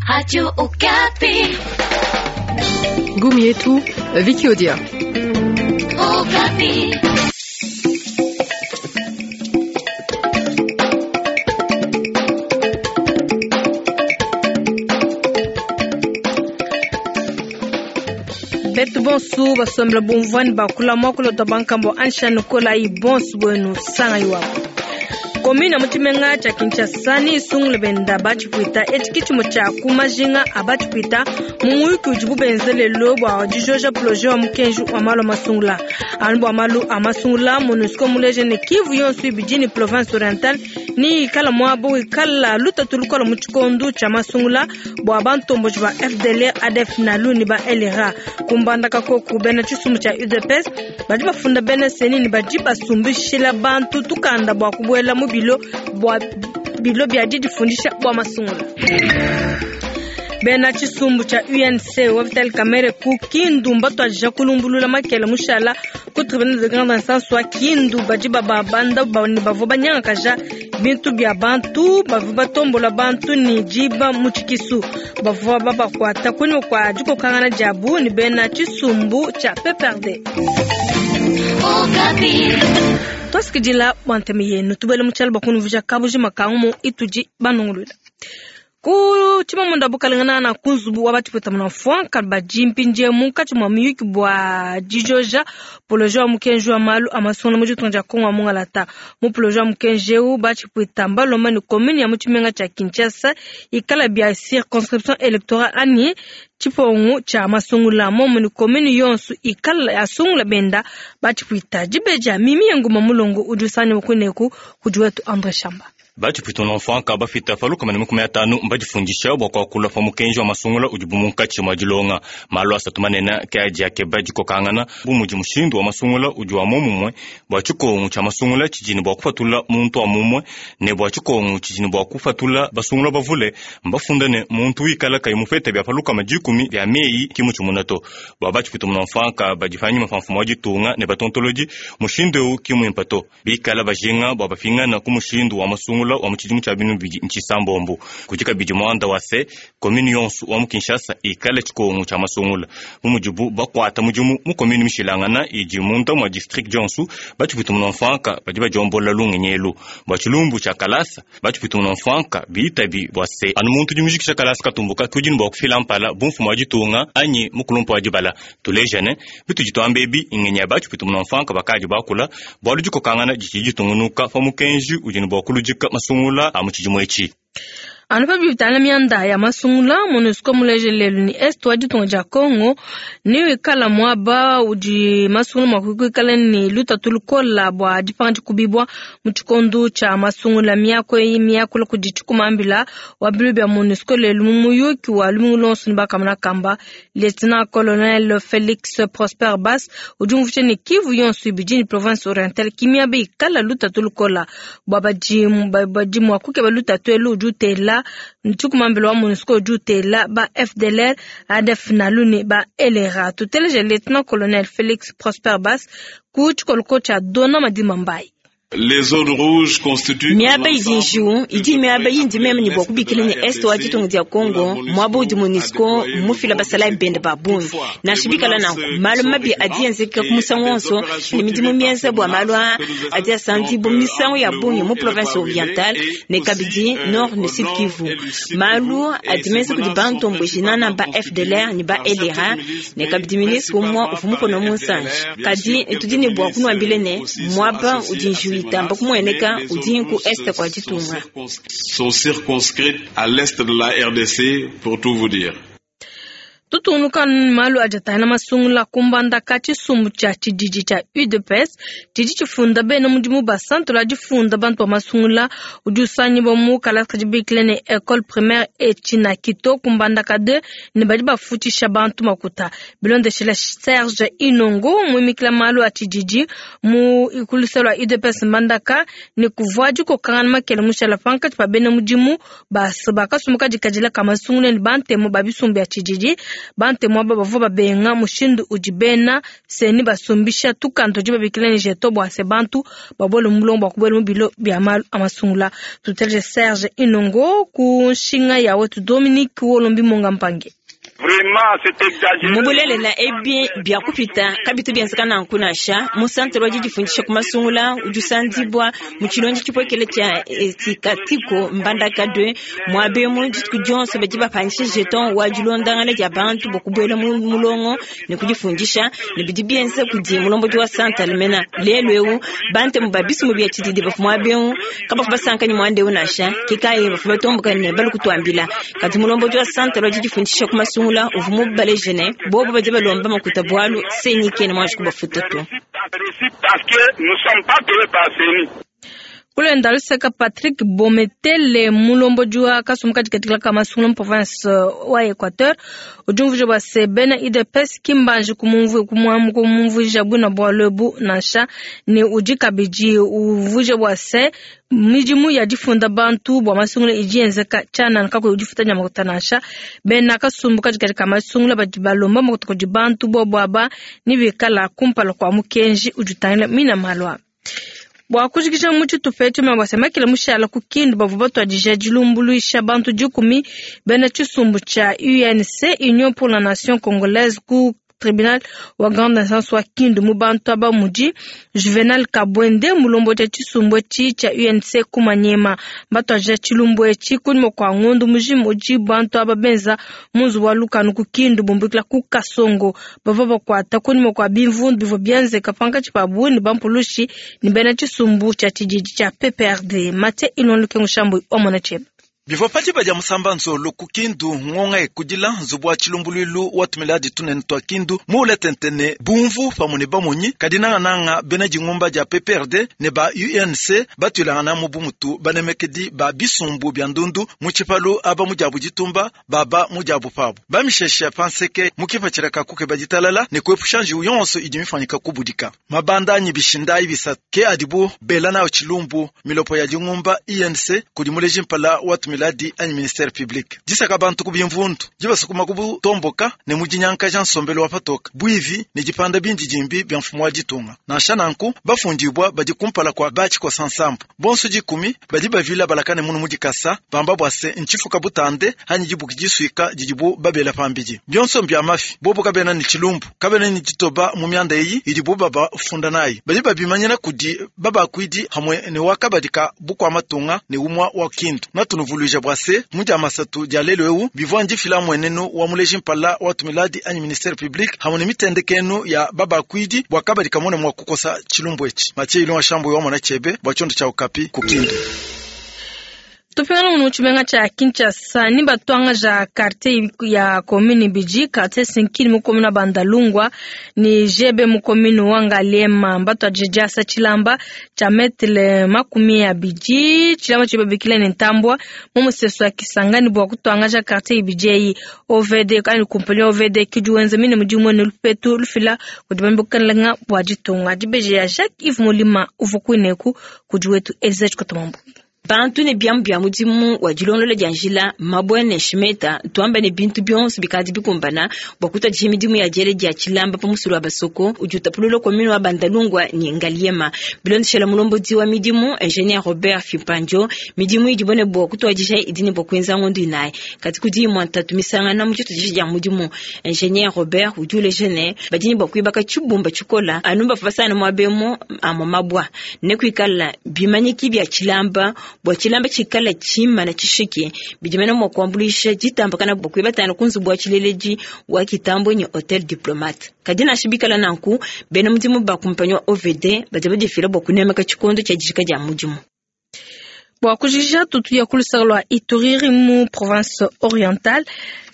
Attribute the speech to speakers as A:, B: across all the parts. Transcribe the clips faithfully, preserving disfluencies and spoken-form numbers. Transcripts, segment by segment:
A: Radio Okapi.
B: Ngumu yetu Vicky Odia.
A: Okapi.
C: Betu bonsu basombela bumvwani bakula mwakulota bankambo anshani kola yi bonsu bwenu sanga iwapo komina mu tshimenga tshia Kinshasa ni isungule benda batshipwita etshi kitshimo tshia kumajinga a batshipwita mu muyuki udibu benze lelo bua dijoja projet wa mukenji wa malu a masungula anu bua malu a masungula MONUSCO muleje ne Kivu yonso ibidi ni province orientale ni ikala muaba wikala lutatu lukola mu tshikondu tshia masungula bua bantomboji ba F D L R A D F NALU ni ba L R A kumbandaka koku bena tshisumbu tshia U D P S badi bafunda bena seni ni badi basumbishila bantu tukanda bua kubuela mu bilo bua bilo bia didifundisha bua masungula. Bena tshisumbu tshia U N C wa Vital Kamerhe ku Kindu mbatuadija kulumbulula makele mushala ku tribunal de grande instance wa Kindu badi bababanda ne bavua banyangakaja bintu bia bantu bavua batombola bantu ni diba mu tshikisu bavua babakuata kunyima kua dikokangana diabu ne bena tshisumbu tshia P P R D. Twasikidila bua ntema yenu tubele mu tshialu bua kunuvuja kabuji makangu mu itudi banungulula. Ku tshimamunda bukalengana na kunzubu wa batshipwita muna mfwanka badi mpindie munkatshi mua miyuki bua dijoja projet wa mukenji wa malu a masungula mu ditunga dia Kongo wa Mungalata. Mu projet wa mukenji eu batshipwita mbalomba ne commune ya mu tshimenga tshia Kinshasa ikala bia circonscription électorale ani tshipongu tshia masungula momu ne commune yonso ikala asungula benda batshipwita dibeja mimi yenguma mulongo udi usanya kuneku kudi wetu Andre Shamba.
D: Batshipwita mfwanka bafita paluka mane makumi atanu mbadifundisha bua kuakula pa mukenji wa masungula udi munkatshi mua dilonga malu asatu manene ke adi akeba dikokangana bu mudi mushindu wa masungula udi wa momumue bua tshikongu tshia masungula tshidi bua kupatula muntu wa mumue ne bua tshikongu tshidi bua kupatula basungula bavule mbafunda ne muntu wikala kayi mupete bia paluka madikumi bia meyi kimu tshimuna to bua batshipwita mfwanka badi panyima pa mfumu wa ditunga ne batontolodi mushindu eu kimuimpa to bikala bajinga bua bapingana ku mushindu wa masungula wa mutshidimu tshia binu bidi ntshisambombo kudi kabidi muanda wa se commune yonso wa mu Kinshasa ikala tshikongu tshia masungula bu mudibu bakuata mudimu mu commune mishilangana idi munda mua district dionso batshipwita mfwanka badi badiombola lungenyi elu bua tshilumbu tshia kalasa batshipwita mfwanka biitabi bua se anu muntu udi mujikisha kalasa katumbuka kudi ne bua kufila mpala bu mfumu wa ditunga anyi mukulumpa wa dibala tulejane bitudi tuamba ebi ngenyi ya batshipwita mfwanka bakadi bakula bualu dikokangana ditshidi ditungunuka pa mukenji udi ne bua kuludika masungula a mutshidimu etshi.
C: Anu pa bivitana mianda ya masungula MONUSCO muleje lelu ni est wa ditunga dia Congo ni wikala muaba udi masungula mua kuikala ni lutatu lukola bua dipanga dikubibua mu tshikondu tshia masungula miako eyi miakula kudi tshikumambila wa bilu bia MONUSCO lelu mu muyuki wa lumingu lonso ne bakamana kamba Lieutenant Colonel Felix Prosper Bas udi umvuija ne Kivu yonso ibidi ni province orientale kimiaba ikala lutatu lukola bua badi badi mua kukeba lutatu elu udi utela ntshikumambila wa MONUSCO udi utela ba F D L R A D F NALU ne ba L R A. Tuteleje Lieutenant Colonel Felix Prosper Bas ku tshikoloko tshia Dona Madima Mbayi.
E: Les zones rouges constituent
F: miaba idi njiwu idi miaba yindi meme ne bua kubikila ne est wa ditunga dia Congo muaba udi MONUSCO mufila basalayi bende ba bungi nansha bikala nanku malu mabi adi enzeka ku musangu wonso ne midimu mienza bua malu a adi asandibu misangu ya bungi mu province orientale ne kabidi nord ne sud Kivu malu adi menza kudi bantomboji nana ba F D L R ne ba L R A ne kabidi ministre umua uvua mukono munsanji kadi tudi ne bua kunuambile ne muaba udi njiwu itamba kumueneka udi ku est kwa ditunga
E: sont circonscrites à l'est de la R D C pour tout vous dire.
C: Tutunuka malu ajatana masungula kumbandaka tshisumbu tshia tshididi tshia U D P S tshidi tshifunda bena mudimu ba santola difunda bantu ba masungula udi usanyibwa mu kalasa dibikile ne école primaire Echinakito kumbandaka deux ne badi bafutshisha bantu makuta bilondeshela Serge Inongo muimikila malu a tshididi mu ikuluselo lwa U D P S mbandaka ne kuvua dikokangana makele mushala pankatshi pa bena mudimu bakasumuka dikadila ka masungula ne bantemu ba bisumbu bia tshididi. Bantemu aba bavua babenga mushindu udi bena CENI basumbisha tukanda tudi babikila ne jeton bua se bantu babuele mu mulongo bua kubuela mu bilo bia malu a masungula. Tuteleje Serge Inongo ku nshinga ya wetu Dominique Wolombi Monga Mpange.
F: Mu bulelela ebi bia kupita kabitu bienzeka nanku nansha mu santere wa didifundisha ku masungula udi usandibwa mu tshilonji tshipwekele tshia etikatiko mbandaka deux muaba emu dituku dionso badi bapanyisha jeton wa dilondangana dia bantu bua kubuela mu mulongo ne kudifundisha ne bidi bienza kudi mulombodi wa santere mena lelu eu bantemu ba bisumu bia tshididi bavua muaba eu kabavu basanka ne muanda eu nansha kikayi bavua batomboka ne balu kutuambila kadi mulombodi wa santere wa didifundisha ku masungula uvua mubaleje ne bobo badi balomba makuta bualu CENI kena muanji kubafuta to.
C: Kulenda luseka Patrick Bometele mulombodi wa kasumbu katikati ka masungula mu province wa Equateur udi umvuija bua se bena U D P S ki mbanji kumumvuija bwina bualu ebu nansha ne udi kabidi umvuija bua se midimu ya difunda bantu bua masungula idi yenzeka tshianana kakuyi udifuta nya makuta nansha. Bena kasumbu katikati ka masungula badi balomba makuta kudi bantu bobo aba ni bikala kumpala kua mukenji udi utangila mina malu aba. Bua kujikija mu tshitupa etshi bua se makila mushala ku Kindu bavua batuadija dilumbuluisha bantu dikumi bena tshisumbu tshia U N C Union pour la Nation Congolaise ku tribunal wa grande instance wa Kindu mu bantu aba mudi Juvenal Kabwende mulombodi wa tshisumbu etshi tshia U N C ku Manyema. Batuadija tshilumbu etshi kunyima kua ngondo mujima udi bantu aba benza mu nzubu wa lukanu ku Kindu bumbukila ku Kasongo. Bavua bakuata kunyima kua bimvundu bivua bienzeka pankatshi pa bungi bampulushi ne bena tshisumbu tshia tshididi tshia P P R D. Mathieu Ilon Lukengo Shambu omona tshebe.
G: Bivua padiba dia musamba nzolo ku Kindu ngonga ekudila nzubu wa tshilumbuluilu wa tumiladi tunene twa Kindu muule tentene bumvu pamue ne bamonyi kadi nangananga bena dingumba dia P P R D ne ba U N C batuilangana mu bumutu banemekedi ba bisumbu bia ndundu mu tshipalu aba mu diabu ditumba baba mu diabu pabu bamishesha panseke mu kipatshila ka kukeba ditalala ne kuepusha njiwu yonso idi mifanyika kubudika mabanda anyi bishindayi bisatu ke adibu bela nayo tshilumbu milopo ya dingumba I N C kudi muleji mpala wa tumiladi anyi ministère public disaka bantu ku bimvundu dibasukuma ku butomboka ne mudinyanka ja nsombelo wa patoka buivi ne dipanda bindi dimbi bia mfumu wa ditunga nansha nanku bafundibwa badi kumpala kwa batshikosa nsambu bonso dikumi badi bavila balakane munu mudikasa bamba bua se ntshifuka butande anyi dibuki disuika didibu babela pambidi bionso mbia mafi bobo kabena ne tshilumbu kabena ne ditoba mu mianda eyi idibu babafunda nayi badi babimanyina kudi babakuidi hamwe ne wakabadika bukwa matunga ne umwa wa Kindu natunuvuluija bua se mu dia masatu dia lelo eu bivua ndifila mwenenu wa muleji mpala wa tumiladi anyi ministère public hamwe ne mitendekenu ya babakuidi bua kabadika mone mwa kukosa tshilumbu etshi Mathieu Ilon Shambu wa mona chebe bua tshiondo tshia Okapi ku Kindu.
C: Tupingana mu tshimenga tshia Kinshasa ni batwanga ja quartier ya commune Biji quartier Sinkini mu commune Bandalungwa ni Jebe mu commune wa Ngaliema batwa jasa tshilamba tshia metre makumi ya Biji tshilamba tshibabikila ne ntambwa mu museso ya Kisangani bua kutwanga ja quartier Biji O V D kandi compagnie O V D kijuwenza mine mudimu ne lupetu lufila kudibambukananga bua ditunga dibeje ya Jacques Yves Molima uvukuineku kudiwetu Elizabeth Kotomambu.
F: Bantu ne biamu bia mudimu wa dilondolola dia njila mabwe ne shimeta tuamba ne bintu bionso bikadi bikumbana bua kutadisha midimu ya diele dia tshilamba pa musulu wa basoko udi utapulula commune wa Bandalungwa ne Ngaliema bilondeshela mulombodi wa midimu ingénieur Robert Fimpanjo midimu idi bone bua kutwadisha idi ne bua kuenza ngondo inayi kati kudi imua ntatu misangana mu tshitudisha dia mudimu ingénieur Robert udi uleja ne badi ne bua kuibaka tshibumba tshikola anu bavua basana muabemo amua mabwa ne kuikala bimanyiki bia tshilamba bua tshilamba tshikala tshimana tshishiki bidimena mua kuambuluisha ditambakana bua kuibatana ku nzubu wa tshileledi wa kitambo ne hotel diplomate kadi nansha bikala nanku bena mudimu ba kumpanyi wa O V D badi badifila bua kunemeka tshikondo tshia dijika dia mudimu.
C: Bua kujija tutu ya kulusaka lua Ituri mu province orientale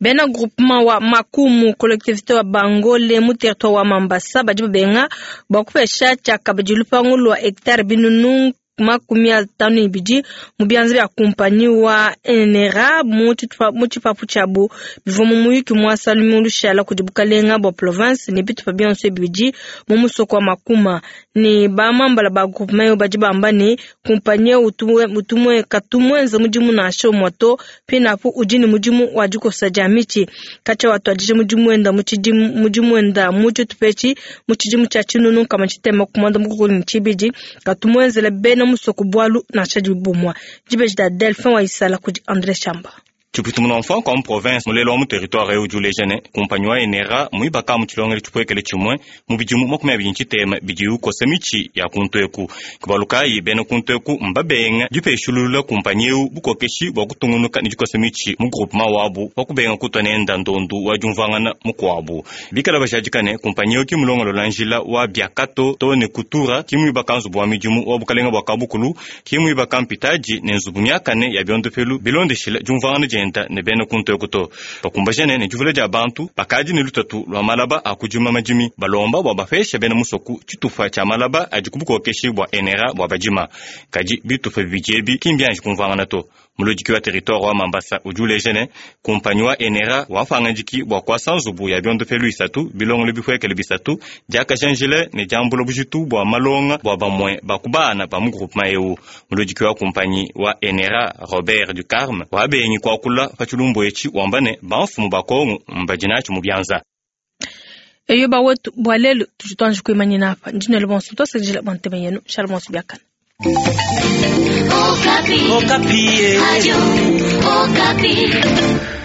C: bena groupement wa Makumu collectivité wa Bangole mu territoire wa Mambasa badi babenga bua kupesha tshiakabidi lupangu lua hectare binunu makumi atanu ne ibidi mu bianza bia kumpanyi wa N R A mu tshipapu tshiabu. Bivua mu muyuki muasa lumingu lushala kudi bukalenga bua province ne bitupa bionso bibidi mu musoko wa Makuma. Ne bamambala ba groupement badi bamba ne kumpanyi eu utumwe katumuenza mudimu nansha umue to. Pinapu udi ne mudimu wa dikosa dia mitshi katshia watuadija mudimu wenda mu tshidimu mudimu wenda mu tshitupa etshi mu tshidimu tshia tshinunu nkama tshitema ku muanda mukulu ne tshibidi, katumuenzela bena musoko bualu nansha dibumua. Dibeji dia Delphin wa Isala kudi André Chamba.
D: Tshiputumuna mfanko wa mu province mulelo wa mu territoire eu udi uleja ne kumpanyi wa N R A muibaka mu tshilongelo tshipuekele tshimue mu bidimu makumi abidi tshitema bidi ukosa mitshi ya kuntu eku. Kubalu kayi bena kuntu eku mbabenga dipeshulula kumpanyi eu bukokeshi bua kutungunuka ne dikosa mitshi mu groupement wabu pa kubenga kutua nenda ndondu wa diumvuangana mukuabu. Bikala bajadika ne kumpanyi eu ki mulongolola njila wa biakato to ne kutura, ki muibaka nzubu wa midimu wa bukalenga bua kabukulu, ki muibaka mpitaji ne nzubu miakane ya biondopelu bilondeshila diumvuangana dienda ne bena kuntu eku to. Bakumbajane ne divula dia bantu bakadi ne lutatu lua malaba a kudima madimi, balomba bua bapesha bena musoku tshitupa tshia malaba adi ku bukokeshi bua N R A bua badima. Kadi bitupa bibidi ebi ki mbianji kumvuangana to. Muludiki wa territoire wa Mambasa udi uleja ne kumpanyi wa N R A wapangadiki bua kuasa nzubu ya biondopelu isatu, bilongolo bipuekele bisatu, diakaja njila ne diambula bujitu bua malonga bua bamue bakubana ba mu groupement eu. Muludiki wa kumpanyi wa N R A Robert Ducarme wabengi kuakula pa tshilumbu etshi, wamba ne bamfumu ba Kongo mbadinatshi mu bianza.
C: Eyo bawetu, bua lelu tudi tuanji kuimanyina apa. Ndinelo bonso twasakidila bua ntema yenu. Shala bonso biakana.
A: Okapi.
H: Okapi.
A: Radio Okapi.